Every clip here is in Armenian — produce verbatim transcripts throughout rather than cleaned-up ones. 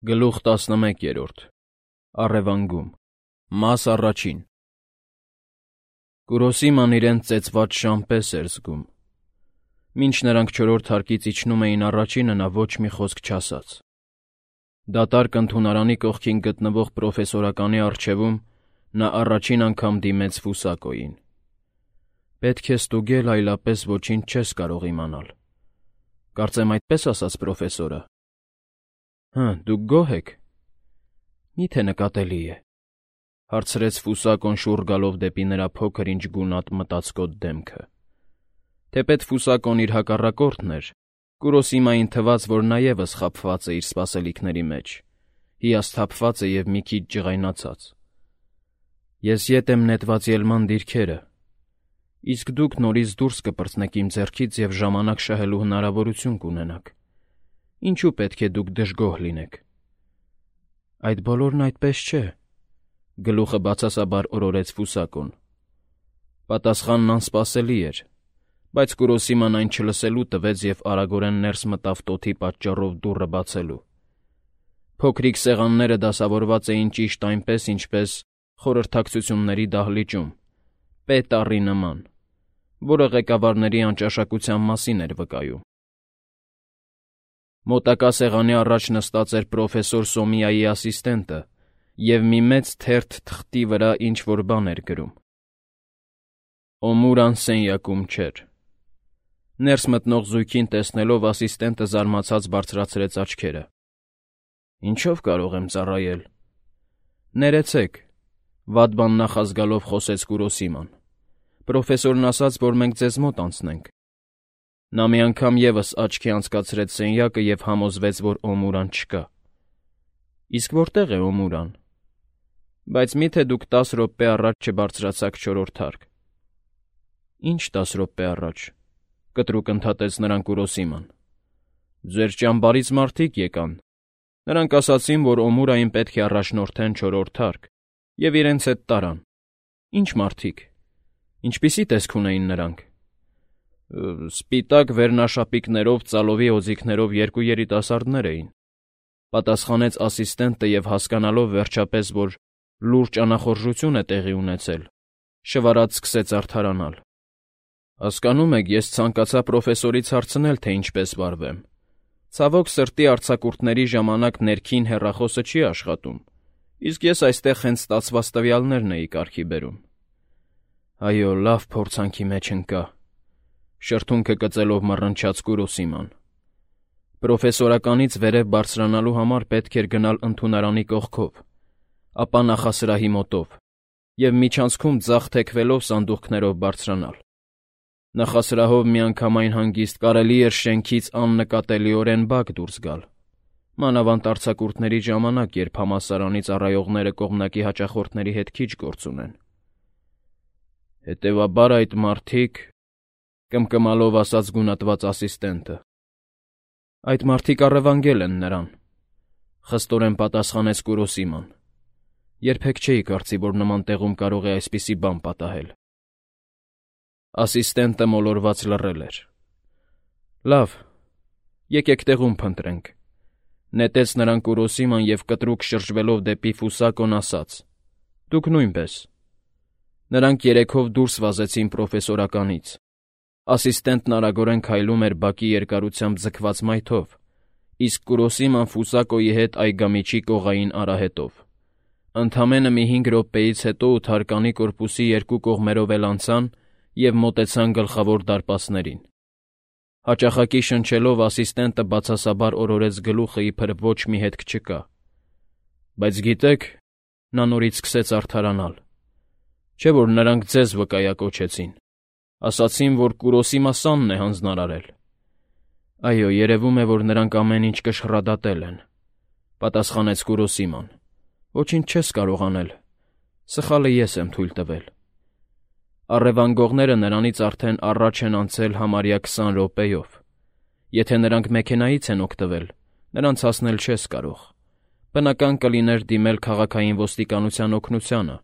Գլուխ տասնմեկերորդ Առևանգում Մաս առաջին Կուրոսիման իրեն ծեծված շան պես էր զգում։ Մինչ նրանք չորրորդ հարկից իջնում էին առաջինը, նա ոչ մի խոսք չասաց։ Դատարկ ընդունարանի կողքին գտնվող պրոֆեսորականի առջևում նա առաջին անգամ դիմեց Ֆուսակոյին։ Պետք է ստուգել, այլապես ոչինչ չես կարող իմանալ։ Կարծեմ այդպես ասաց պրոֆեսորը։ Հը, դուք գոհ եք։ Մի՞թե նկատելի է, հարցրեց Ֆուսակոն շուռ գալով դեպի նրա փոքր ինչ գունատ մտածկոտ դեմքը։ Թեպետ Ֆուսակոն իր հակառակորդն էր, Կուրոսիմային թվաց, որ նա ևս խաբված է իր սպասելիքների մեջ, հիասթափված է և մի քիչ ջղայնացած։ Ես ետ եմ նետված ելման դիրքերը, իսկ դուք նորից դուրս կպրծնեք իմ ձեռքից և ժամանակ շահելու հնարավորություն կունենաք։ Ինչու պետք է դուք դժգոհ լինեք։ Այդ բոլորն այդպես չէ, գլուխը բացասաբար օրորեց Ֆուսակոն։ Պատասխանն անսպասելի էր, բայց Կուրոսիման այն չլսելու տվեց և արագորեն ներս մտավ տոթի պատճառով դուռը բացելու։ Փոքրիկ սեղանները դասավորված էին ճիշտ այնպես, ինչպես խորհրդակցությունների դահլիճում, պետառի նման, որը ղեկավարների անճաշակության մասին էր վկայում։ Մոտակա սեղանի առաջ նստած էր պրոֆեսոր Սոմիայի ասիստենտը և մի մեծ թերթ թղթի վրա ինչ-որ բան էր գրում։ Օմուրան սենյակում չէր։ Ներս մտնող զույգին տեսնելով ասիստենտը զարմացած բարձրացրեց աչքերը։ Ինչո՞վ կարող եմ ծառայել։ Ներեցեք, վատ բան նախազգալով խոսեց Կուրոսիման։ Պրոֆեսորն ասաց, որ մենք ձեզ մոտ անցնենք։ Նա մի անգամ ևս աչքի անցկացրեց սենյակը և համոզվեց, որ Օմուրան չկա։ Իսկ որտե՞ղ է Օմուրան։ Բայց մի՞թե դուք տասը րոպե առաջ չբարձրացաք չորրորդ հարկ։ Ինչ տասը րոպե առաջ, կտրուկ ընդհատեց նրան Կուրոսիման։ Ձեր ճամբարից մարդիկ եկան։ Նրանք ասացին, որ Օմուրային պետք է առաջնորդեն չորրորդ հարկ, և իրենց հետ տարան։ Ինչ մարդիկ։ Ինչպիսի տեսք ունեին նրանք։ Սպիտակ վերնաշապիկներով, ծալովի օձիքներով երկու երիտասարդներ էին, պատասխանեց ասիստենտը և հասկանալով վերջապես, որ լուրջ անախորժություն է տեղի ունեցել, շվարած սկսեց արդարանալ։ Հասկանում եք, ես ցանկացա պրոֆեսորից հարցնել, թե ինչպես վարվեմ։ Ցավոք սրտի արձակուրդների ժամանակ ներքին հեռախոսը չի աշխատում, իսկ ես այստեղ հենց ստացված տվյալներն էի կարգի բերում։ Այո, լավ փորձանքի մեջ ընկա, շրթունքը կծելով մռնչաց Կուրոսիման։ Պրոֆեսորականից վերև բարձրանալու համար պետք էր գնալ ընդունարանի կողքով, ապա նախասրահի մոտով, և միջանցքում ձախ թեքվելով սանդուղքներով բարձրանալ։ Նախասրահով միանգամայն հանգիստ կարելի էր շենքից աննկատելիորեն բակ դուրս գալ, մանավանդ արձակուրդների ժամանակ, երբ համալսարանի ծառայողները կողմնակի հաճախորդների հետ քիչ գործ ունեն։ Հետևաբար այդ մարդիկ, կմկմալով ասաց գունատված ասիստենտը։ Այդ մարդիկ առևանգել են նրան, խստորեն պատասխանեց Կուրոսիման։ Երբեք չէի կարծի, որ նման տեղում կարող է այսպիսի բան պատահել։ Ասիստենտը մոլորված լռել էր։ Լավ, եկեք տեղում փնտրենք, նետեց նրան Կուրոսիման և կտրուկ շրջվելով դեպի Ֆուսակոն ասաց. Դուք նույնպես։ Նրանք երեքով դուրս վազեցին պրոֆեսորականից։ Ասիստենտն արագորեն քայլում էր բակի երկարությամբ ձգված մայթով, իսկ Կուրոսիման Ֆուսակոյի հետ այգամիջի կողային արահետով։ Ընդամենը մի հինգ րոպեից հետո ութարկանի կորպուսի երկու կողմերով էլ անցան և մոտեցան գլխավոր դարպասներին։ Հաճախակի շնչելով ասիստենտը բացասաբար օրորեց գլուխը, իբր ոչ մի հետք չկա։ Բայց գիտեք, նա նորից սկսեց արդարանալ։ Չէ՞ որ նրանք ձեզ վկայակոչեցին։ Ասացին, որ Կուրոսիմա Սանն է հանձնարարել։ Այո, երևում է, որ նրանք ամեն ինչ կշռադատել են, պատասխանեց Կուրոսիման։ Ոչինչ չես կարող անել։ Սխալը ես եմ թույլ տվել։ Առևանգողները նրանից արդեն առաջ են անցել համարյա քսան րոպեով։ Եթե նրանք մեքենայից են օգտվել, նրանց հասնել չես կարող։ Բնական կլիներ դիմել քաղաքային ոստիկանության օգնությանը,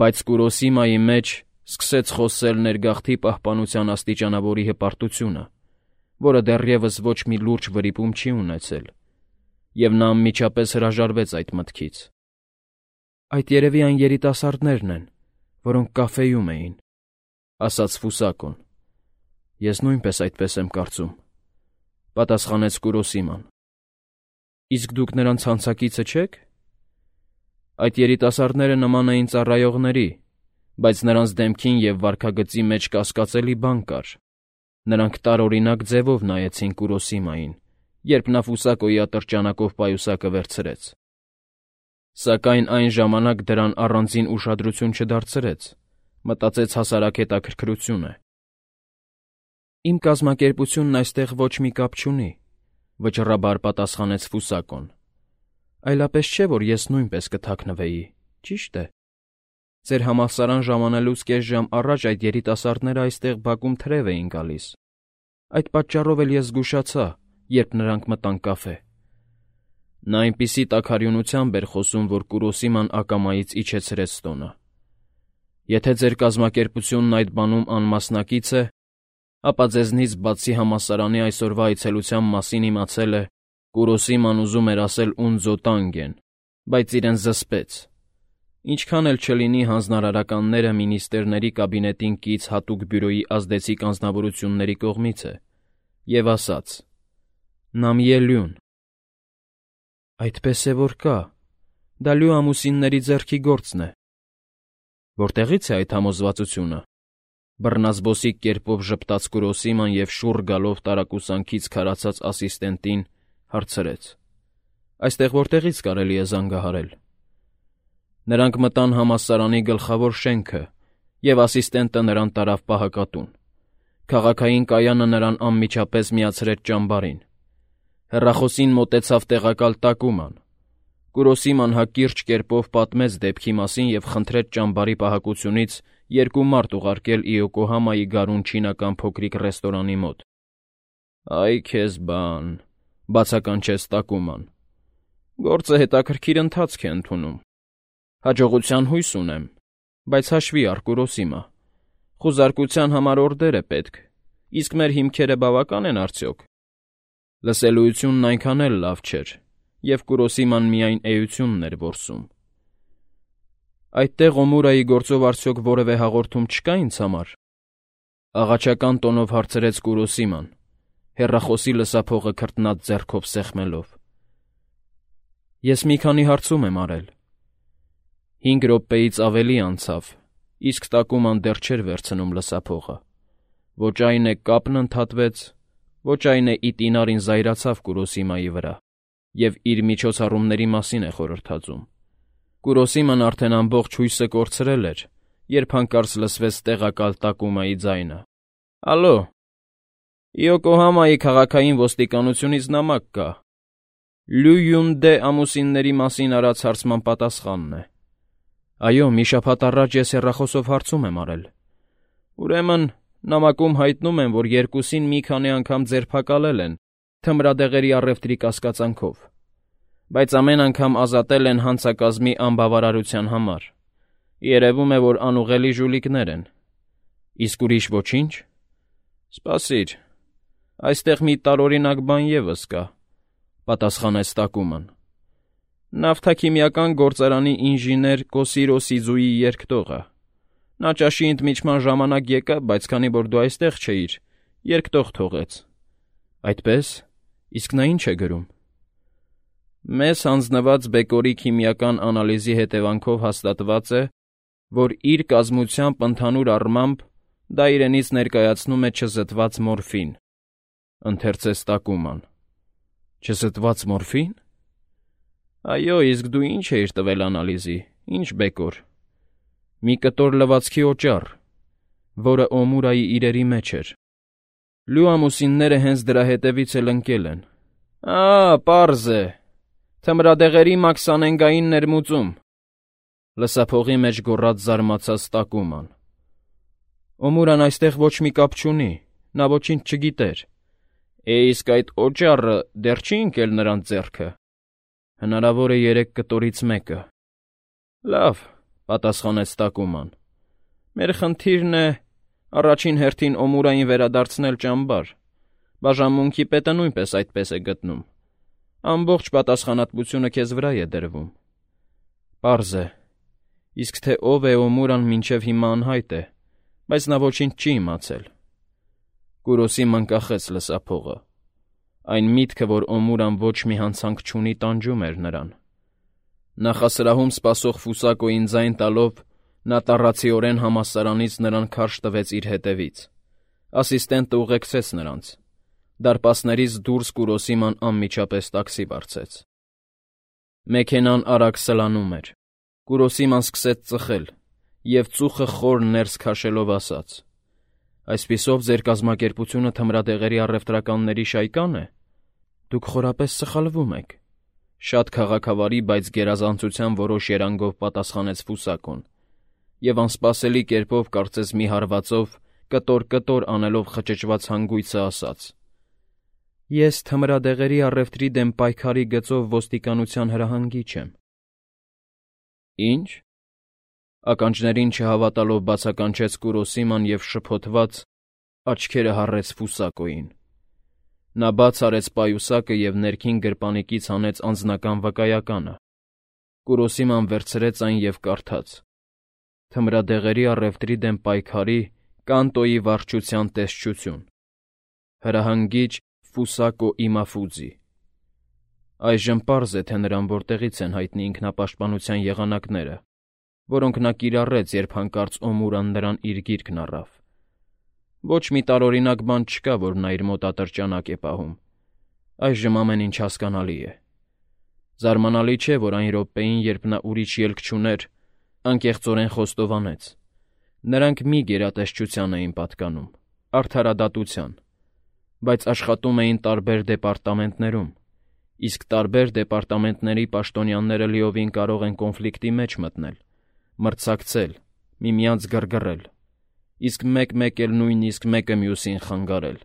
բայց Կուրոսիմայի մեջ սկսեց խոսել ներգաղթի պահպանության աստիճանավորի հպարտությունը, որը դեռևս ոչ մի լուրջ վրիպում չի ունեցել, և նա անմիջապես հրաժարվեց այդ մտքից։ «Այդ երևի այն երիտասարդներն են, որոնք կաֆեում էին», ասաց Ֆուսակոն։ «Ես նույնպես այդպես եմ կարծում», պատասխանեց Կուրոսիման։ «Իսկ դուք նրանց հանցակիցը չե՞ք»։ «Այդ երիտասարդները նման էին ծառայողների, բայց նրանց դեմքին և վարքագծի մեջ կասկածելի բան կար։ Նրանք տարօրինակ ձևով նայեցին Կուրոսիմային, երբ նա Ֆուսակոյի ատրճանակով պայուսակը վերցրեց։ Սակայն այն ժամանակ դրան առանձին ուշադրություն չդարձրեց, մտածեց հասարակ հետաքրքրություն է։ «Իմ կազմակերպությունն այստեղ ոչ մի կապ չունի», վճռաբար պատասխանեց Ֆուսակոն։ «Այլապես չէ, որ ես նույնպես կթաքնվեի, ճիշտ է։ Ձեր համալսարան ժամանելուց կես ժամ առաջ այդ երիտասարդները այստեղ բակում թրև էին գալիս։ Այդ պատճառով էլ ես զգուշացա, երբ նրանք մտան կաֆե»։ Նա այնպիսի տաքարյունությամբ էր խոսում, որ Կուրոսիման ակամայից իջեցրեց տոնը։ «Եթե ձեր կազմակերպությունն այդ բանում անմասնակից է, ապա ձեզնից բացի համալսարանի այսօրվա այցելության մասին իմացել է, Կուրոսիման ուզում էր ասել «Ունձո տանգեն», բայց իրեն զսպեց։ Ինչքան էլ չլինի հանձնարարականները մինիստրների կաբինետին կից հատուկ բյուրոյի ազդեցիկ անձնավորությունների կողմից է, և ասաց. «Նամիե լյուն»։ «Այդպես է որ կա, դա լյու ամուսինների ձեռքի գործն է»։ «Որտեղից է այդ համոզվածությունը»։ Բռնազբոսիկ կերպով ժպտաց Կուրոսիման և շուռ գալով տարակուսանքից քարացած ասիստենտին հարցրեց. «Այստեղ որտեղից կարելի է զանգահարել»։ Նրանք մտան համալսարանի գլխավոր շենքը, և ասիստենտը նրան տարավ պահակատուն։ Քաղաքային կայանը նրան անմիջապես միացրեց ճամբարին։ Հեռախոսին մոտեցավ տեղակալ Տակուման։ Կուրոսիման հակիրճ կերպով պատմեց դեպքի մասին և խնդրեց ճամբարի պահակությունից երկու մարդ ուղարկել Իոկոհամայի գարուն չինական փոքրիկ ռեստորանի մոտ։ «Այ քեզ բան», բացականչեց Տակուման։ «Գործը հետաքրքիր ընթացք է ընդունում։ Հաջողության հույս ունեմ, բայց հաշվի առ, Կուրոսիմա, խուզարկության համար օրդեր է պետք, իսկ մեր հիմքերը բավական են արդյոք»։ Լսելույությունն այնքան էլ լավ չէր, և Կուրոսիման միայն էությունն էր որսում։ «Այդտեղ Օմուրայի գործով արդյոք որևէ հաղորդում չկա ինձ համար»։ Աղաչական տոնով հարցրեց Կուրոսիման, հեռախոսի լսափողը քրտնած ձեռքով սեղմելով։ «Ես մի քանի հարցում եմ արել»։ Հինգ րոպեից ավելի անցավ, իսկ Տակուման դեռ չէր վերցնում լսափողը։ Ոչ այն է կապն ընդհատվեց, ոչ այն է ի տինարին զայրացավ Կուրոսիմայի վրա և իր միջոցառումների մասին է խորհրդածում։ Կուրոսիման արդեն ամբողջ հույսը կորցրել էր, երբ հանկարծ լսվեց տեղակալ Տակումայի ձայնը. «Ալո, Իոկոհամայի քաղաքային ոստիկանությունից նամակ կա։ Լյու Յունդե ամուսինների մասին արած հարցման պատասխանն է»։ «Այո, մի շաբաթ առաջ ես հեռախոսով հարցում եմ արել»։ «Ուրեմն նամակում հայտնում են, որ երկուսին մի քանի անգամ ձերբակալել են թմրադեղերի առևտրի կասկածանքով, բայց ամեն անգամ ազատել են հանցակազմի անբավարարության համար։ Երևում է, որ անուղղելի ժուլիկներ են»։ «Իսկ ուրիշ ոչինչ»։ «Սպասիր, այստեղ մի տարօրինակ բան ևս կա», պատասխանեց Տակուման։ «Նավթաքիմիական գործարանի ինժեներ Կոսիրո Սիզուի երկտողը։ Նա ճաշի ընդմիջման ժամանակ եկավ, բայց քանի որ դու այստեղ չէիր, երկտող թողեց»։ «Այդպե՞ս, իսկ նա ինչ է գրում»։ «Մեզ հանձնված բեկորի քիմիական անալիզի հետևանքով հաստատված է, որ իր կազմությամբ ընդհանուր առմամբ դա իրենից ներկայացնում է չզտված մորֆին», ընթերցեց Տակուման։ «Չզտված մորֆի՞ն»։ «Այո, իսկ դու ինչ էիր տվել անալիզի, ինչ բեկոր»։ «Մի կտոր լվացքի օճառ, որը Օմուրայի իրերի մեջ էր։ Լյու ամուսինները հենց դրա հետևից էլ ընկել են»։ «Ա՜, պարզ է, թմրադեղերի մաքսանենգային ներմուծում», լսափողի մեջ գոռաց զարմացած Տակուման։ «Օմուրան այստեղ ոչ մի կապ չունի, նա ոչինչ չգիտեր»։ «Է, իսկ այդ օճառը դեռ չի՞ ընկել նրանց ձեռքը»։ «Հնարավոր է երեք կտորից մեկը»։ «Լավ», պատասխանեց Տակուման։ «Մեր խնդիրն է առաջին հերթին Օմուրային վերադարձնել ճամբար։ Բաժանմունքի պետը նույնպես այդպես է գտնում։ Ամբողջ պատասխանատվությունը քեզ վրա է դրվում։ Պարզ է, իսկ թե ով է Օմուրան մինչև հիմա անհայտ է, բայց նա ոչինչ չի իմացել։ Կուրոսիման կախեց լսափողը։ Այն միտքը, որ Օմուրան ոչ մի հանցանք չունի, տանջում էր նրան։ Նախասրահում սպասող Ֆուսակոյին ձայն տալով, նա տառացիորեն համալսարանից նրան քարշ տվեց իր հետևից։ Ասիստենտը ուղեկցեց նրանց։ Դարպասներից դուրս Կուրոսիման անմիջապես տաքսի վարձեց։ Մեքենան արագ սլանում էր։ Կուրոսիման սկսեց ծխել և ծուխը խոր ներս քաշելով ասաց. «Այսպիսով ձեր կազմակերպությունը թմրադեղերի առևտրականների շայկա՞ն է։ Դուք խորապես սխալվում եք», շատ քաղաքավարի, բայց գերազանցության որոշ երանգով պատասխանեց Ֆուսակոն և անսպասելի կերպով, կարծես մի հարվածով, կտոր-կտոր անելով խճճված հանգույցը ասաց. «Ես թմրադեղերի առևտրի դեմ պայքարի գծով ոստիկանության հրահանգիչ եմ»։ «Ի՞նչ»։ Ականջներին չհավատալով բացականչեց Կուրոսիման և շփոթված աչքերը հառեց Ֆուսակոյին։ Նա բաց արեց պայուսակը և ներքին գրպանիկից հանեց անձնական վկայականը։ Կուրոսիման վերցրեց այն և կարդաց. «Թմրադեղերի առևտրի դեմ պայքարի Կանտոյի վարչության տեսչություն։ Հրահանգիչ Ֆուսակո Իմաֆուձի»։ Այժմ պարզ է, թե նրան որտեղից են հայտնի ինքնապաշտպանության եղանակները, որոնք նա կիրառեց, երբ հանկարծ Օմուրան նրան իր գիրկն առավ։ Ոչ մի տարօրինակ բան չկա, որ նա իր մոտ ատրճանակ է պահում։ Այժմ ամեն ինչ հասկանալի է։ Զարմանալի չէ, որ այն րոպեին, երբ նա ուրիշ ելք չուներ, անկեղծորեն խոստովանեց. նրանք մի գերատեսչության էին պատկանում, արդարադատության, բայց աշխատում էին տարբեր դեպարտամենտներում, իսկ տարբեր դեպարտամենտների պաշտոնյաները լիովին կարող են կոնֆլիկտի մեջ մտնել, մրցակցել, միմյանց գրգռել, իսկ մեկ-մեկ էլ նույնիսկ մեկը մյուսին խանգարել։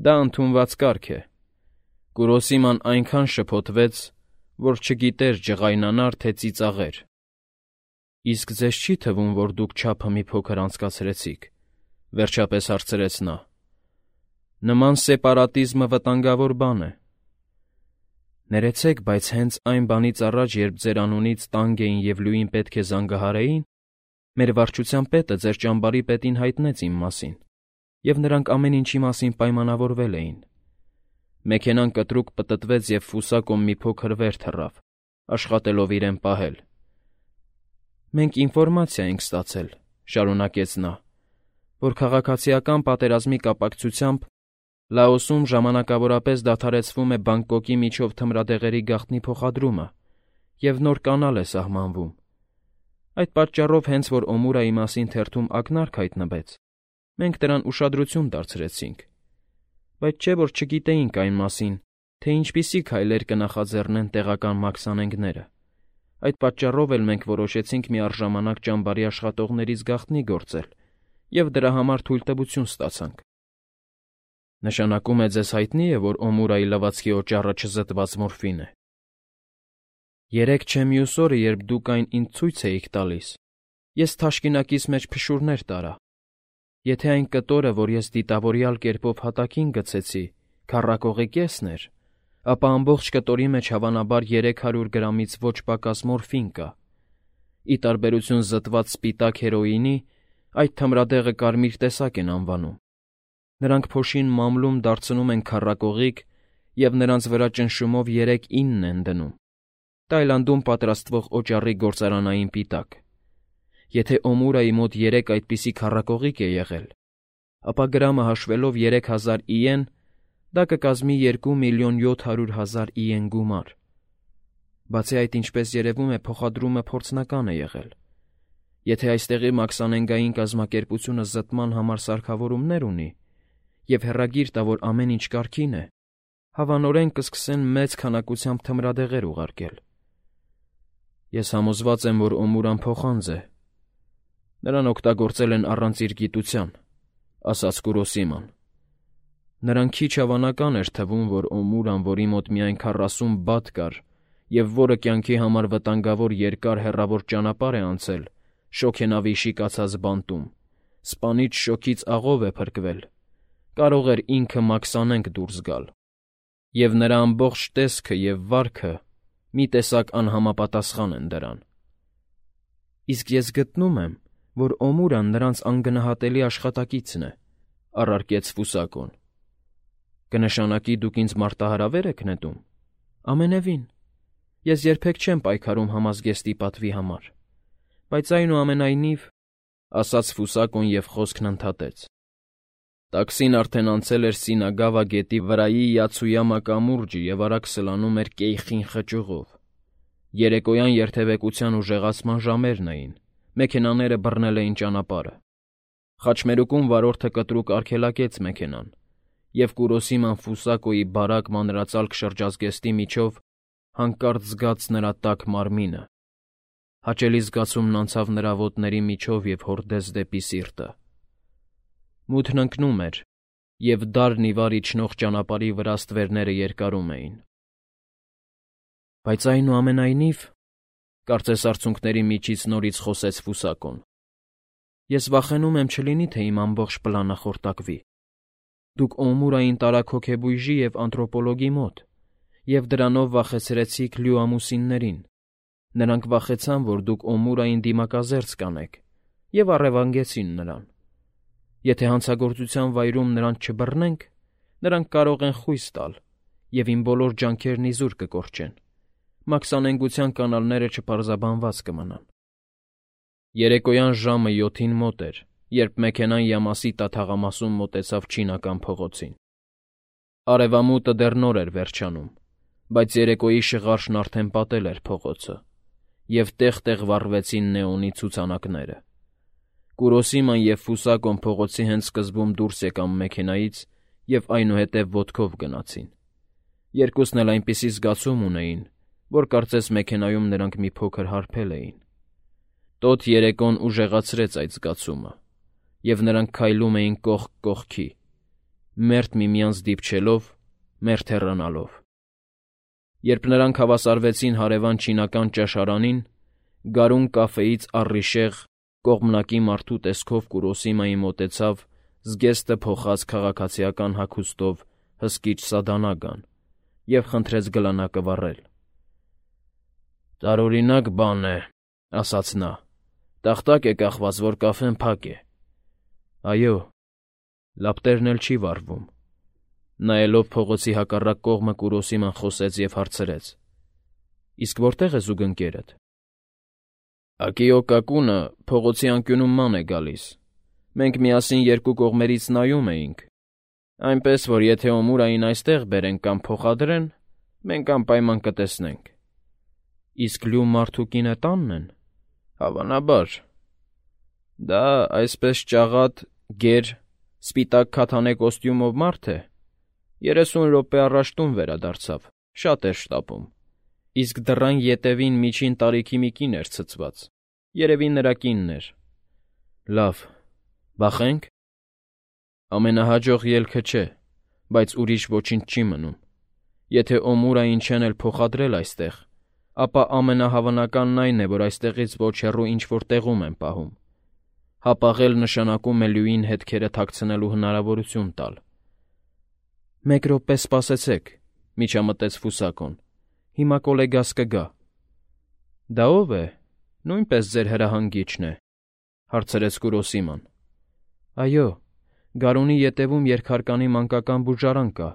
Դա ընդունված կարգ է։ Կուրոսիման այնքան շփոթվեց, որ չգիտեր ջղայնանար, թե ծիծաղեր։ «Իսկ ձեզ չի թվում, որ դուք չափը մի փոքր անցկացրեցիք», վերջապես հարցրեց նա։ «Նման սեպարատիզմը վտանգավոր բան է»։ Ներեցեք, բայց հենց այն բանից առաջ, երբ ձեր անունից տանգ էին և լույին պետք է զանգահարեին, մեր վարչության պետը ձեր ճամբարի պետին հայտնեց իմ մասին, և նրանք ամեն ինչի մասին պայմանավորվել էին։ Մեքենան կտրուկ պտտվեց, և Ֆուսակոն մի փոքր վեր թռավ, աշխատելով իրեն պահել։ «Մենք ինֆորմացիա ենք ստացել», շարունակեց նա, «որ քաղաքացիական պատերազմի կապակցությամբ Լաոսում ժամանակավորապես դադարեցվում է Բանգկոկի միջով թմրադեղերի գաղտնի փոխադրումը և նոր կանալ է սահմանվում։ Այդ պատճառով, հենց որ Օմուրայի մասին թերթում ակնարկ հայտնվեց, մենք դրան ուշադրություն դարձրեցինք, բայց չէ՞ որ չգիտեինք այն մասին, թե ինչպիսի քայլեր կնախաձեռնեն տեղական մաքսանենգները։ Այդ պատճառով էլ մենք որոշեցինք միառժամանակ ճամբարի աշխատողներից գաղտնի գործել և դրա համար թույլտվություն ստացանք»։ «Նշանակում է ձեզ հայտնի է, որ Օմուրայի լվացքի օճառը չզտված մորֆին է»։ «Երեկ չէ մյուս օրը, երբ դուք այն ինձ ցույց էիք տալիս, ես թաշկինակիս մեջ փշուրներ տարա։ Եթե այն կտորը, որ ես դիտավորյալ կերպով հատակին գցեցի, քառակողի կեսն էր, ապա ամբողջ կտորի մեջ հավանաբար երեք հարյուր գրամից ոչ պակաս մորֆին կա։ Ի տարբերություն զտված սպիտակ հերոինի, այդ թմրադեղը կարմիր տեսակ են անվանում։ Նրանք փոշին մամլում դարձնում են քառակողիկ և նրանց վրա ճնշումով երեք ինն են դնում։ Տայլանդում պատրաստվող օճառի գործարանային պիտակ։ Եթե Օմուրայի մոտ երեք այդպիսի քառակողիկ է եղել, ապա գրամը հաշվելով երեք հազար իեն, դա կկազմի երկու միլիոն յոթ հարյուր հազար իեն գումար։ Բացի այդ, ինչպես երևում է, փոխադրումը փորձնական է եղել։ Եթե այստեղի մաքսանենգային կազմակերպությունը զտման համար սարքավորումներ ունի և հեռագիր տա, որ ամեն ինչ կարգին է, հավանորեն կսկսեն մեծ քանակությամբ թմրադեղեր ուղարկել։ Ես համոզված եմ, որ Օմուրան փոխանձ է։ Նրան օգտագործել են առանց իր գիտության, ասաց Կուրոսիման։ Նրան քիչ հավանական էր թվում, որ Օմուրան, որի մոտ միայն քառասուն բադ կար և որը կյանքի համար վտանգավոր երկար հեռավոր ճանապարհ է անցել շոգենավի շիկացած բանտում, սպանիչ շոգից աղով է փրկվել, կարող էր ինքը մաքսանենգ դուրս գալ։ Եվ նրա ամբողջ տեսքը և վարքը մի տեսակ անհամապատասխան են դրան։ Իսկ ես գտնում եմ, որ Օմուրան նրանց անգնահատելի աշխատակիցն է, առարկեց Ֆուսակոն։ Կնշանակի դուք ինձ մարտահրավեր եք նետում։ Ամենևին։ Ես երբեք չեմ պայքարում համազգեստի պատվի համար, բայց այնուամենայնիվ, ասաց Ֆուսակոն և խոսքն ընդհատեց. Տաքսին արդեն անցել էր Սինագավա գետի վրայի Յացույամա կամուրջը և արագ սլանում էր Կեյխին խճուղով։ Երեկոյան երթևեկության ուժեղացման ժամերն էին, մեքենաները բռնել էին ճանապարհը։ Խաչմերուկում վարորդը կտրուկ արգելակեց մեքենան, և Կուրոսիման Ֆուսակոյի բարակ մանրածալք շրջազգեստի միջով հանկարծ զգաց նրա տաք մարմինը։ Հաճելի զգացումն անցավ նրա ոտների միջով և հորդեց դեպի սիրտը։ Մութն ընկնում էր, և դառն ի վար իջնող ճանապարհի վրա ստվերները երկարում էին։ Բայց այնուամենայնիվ, կարծես արցունքների միջից նորից խոսեց Ֆուսակոն, ես վախենում եմ չլինի, թե իմ ամբողջ պլանը խորտակվի։ Դուք Օմուրային տարաք հոգեբույժի և անթրոպոլոգի մոտ, և դրանով վախեցրեցիք լյուամուսիններին։ Նրանք վախեցան, որ դուք Օմուրային դիմակազերծ կանեք, և առևանգեցին նրան։ Եթե հանցագործության վայրում նրանց չբռնենք, նրանք կարող են խույս տալ, և իմ բոլոր ջանքերն իզուր կկորչեն։ Մաքսանենգության կանալները չպարզաբանված կմնան։ Երեկոյան ժամը յոթին մոտ էր, երբ մեքենան Յամասի տաթաղամասում մոտեցավ Չինական փողոցին։ Արևամուտը դեռ նոր էր վերջանում, բայց երեկոյի շղարշն արդեն պատել էր փողոցը, և տեղ-տեղ վառվեցին նեոնի ցուցանակները։ Կուրոսիման և Ֆուսակոն փողոցի հենց սկզբում դուրս եկան մեքենայից և այնուհետև ոտքով գնացին։ Երկուսն էլ այնպիսի զգացում ունեին, որ կարծես մեքենայում նրանք մի փոքր հարբել էին։ Տոտ երեկոն ուժեղացրեց այդ զգացումը, և նրանք քայլում էին կողք կողքի, մերթ միմյանց դիպչելով, մերթ հեռանալով։ Երբ նրանք հավասարվեցին հարևան չինական ճաշարանին, գարուն կաֆեից առիժեղ կողմնակի մարդու տեսքով Կուրոսիմայի մոտեցավ զգեստը փոխած քաղաքացիական հագուստով հսկիչ Սադանագան և խնդրեց գլանակը վառել։ «Տարօրինակ բան է,» ասաց նա, «տախտակ է կախված, որ կաֆեն փակ է»։ «Այո, լապտերն էլ չի վառվում»։ Նայելով փողոցի հակառակ կողմը Կուրոսիման խոսեց և հարցրեց. «Իսկ որտե՞ղ է զուգընկերդ»։ «Ակիո Կակունը փողոցի անկյունում ման է գալիս։ Մենք միասին երկու կողմերից նայում էինք, այնպես որ եթե Օմուրային այստեղ բերեն կամ փոխադրեն, մենք անպայման կտեսնենք»։ «Իսկ լու մարդու կինը տա՞նն են»։ «Հավանաբար»։ «Դա այսպես ճաղատ, գեր, սպիտակ քաթանե կոստյումով մարդ է։ Երեսուն րոպե առաջ տուն վերադարձավ, շատ էր շտապում։ Իսկ դռան ետևին միջին տարիքի մի կին էր ցցված, երևի նրա կինն էր»։ «Լավ, վախե՞նք»։ «Ամենահաջող ելքը չէ, բայց ուրիշ ոչինչ չի մնում։ Եթե Օմուրային չեն էլ փոխադրել այստեղ, ապա ամենահավանականն այն է, որ այստեղից ոչ հեռու ինչ֊որ տեղում են պահում։ Հապաղել նշանակում է լյուին հետքերը թաքցնելու հնարավորություն տալ»։ «Մեկ րոպե սպասեցեք,֊ միջամտեց Ֆուսակոն,֊ հիմա կոլեգաս կգա»։ «Դա ո՞վ է, նույնպես ձեր հրահանգիչն է», հարցրեց Կուրոսիման։ «Այո, գարունի ետևում երկհարկանի մանկական բուժարան կա։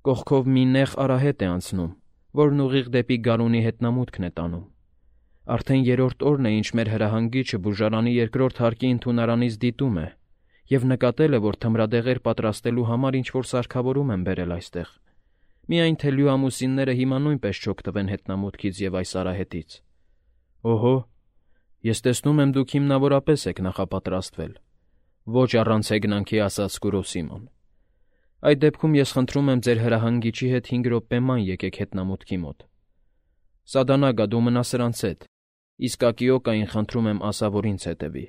Կողքով մի նեղ արահետ է անցնում, որն ուղիղ դեպի գարունի հետնամուտքն է տանում։ Արդեն երրորդ օրն է, ինչ մեր հրահանգիչը բուժարանի երկրորդ հարկի ընդունարանից դիտում է և նկատել է, որ թմրադեղեր պատրաստելու համար ինչ֊որ սարքավորում են բերել այստեղ։ Միայն թե լյուամուսինները հիմա նույնպես չօգտվեն հետնամուտքից և այս արահետից»։ «Օհո, ես տեսնում եմ դուք հիմնավորապես եք նախապատրաստվել,֊ ոչ առանց հեգնանքի ասաց Կուրոսիման։ «Այդ դեպքում ես խնդրում եմ ձեր հրահանգիչի հետ հինգ րոպե ման եկեք հետնամուտքի մոտ։ Սադանագա, դու մնա սրանց հետ, իսկ Ակիոկային խնդրում եմ ասա, որ ինձ հետևի»։